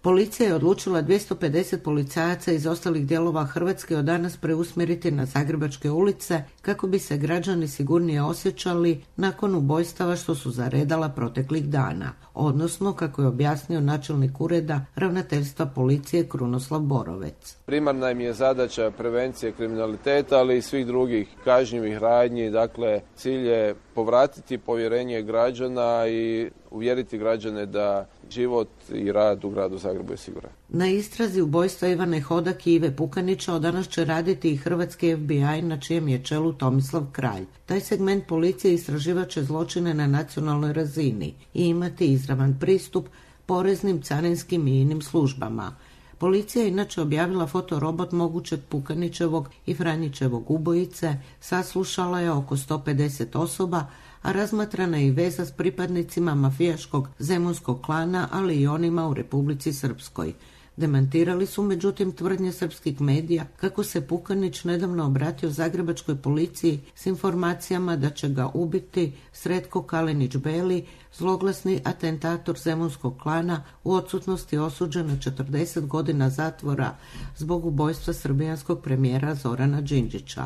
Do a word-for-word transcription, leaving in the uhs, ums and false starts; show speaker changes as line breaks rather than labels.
Policija je odlučila dvjesto pedeset policajaca iz ostalih dijelova Hrvatske od danas preusmjeriti na zagrebačke ulice kako bi se građani sigurnije osjećali nakon ubojstava što su zaredala proteklih dana, odnosno kako je objasnio načelnik ureda ravnateljstva policije Krunoslav Borovec.
Primarna im je zadaća prevencije kriminaliteta, ali i svih drugih kažnjivih radnji. Dakle, cilj je povratiti povjerenje građana i uvjeriti građane da život i rad u gradu Zagrebu je siguran.
Na istrazi ubojstva Ivane Hodak i Ive Pukanića od danas će raditi i hrvatski F B I na čijem je čelu Tomislav Kralj. Taj segment policije istraživat će zločine na nacionalnoj razini i imati izravan pristup poreznim, carinskim i inim službama. Policija je inače objavila fotorobot mogućeg Pukanićevog i Franjićevog ubojice, saslušala je oko sto pedeset osoba, a razmatrana je i veza s pripadnicima mafijaškog zemunskog klana, ali i onima u Republici Srpskoj. Demantirali su međutim tvrdnje srpskih medija kako se Pukanić nedavno obratio zagrebačkoj policiji s informacijama da će ga ubiti Sretko Kalinić-Beli, zloglasni atentator zemunskog klana, u odsutnosti osuđen na četrdeset godina zatvora zbog ubojstva srbijanskog premijera Zorana Đinđića.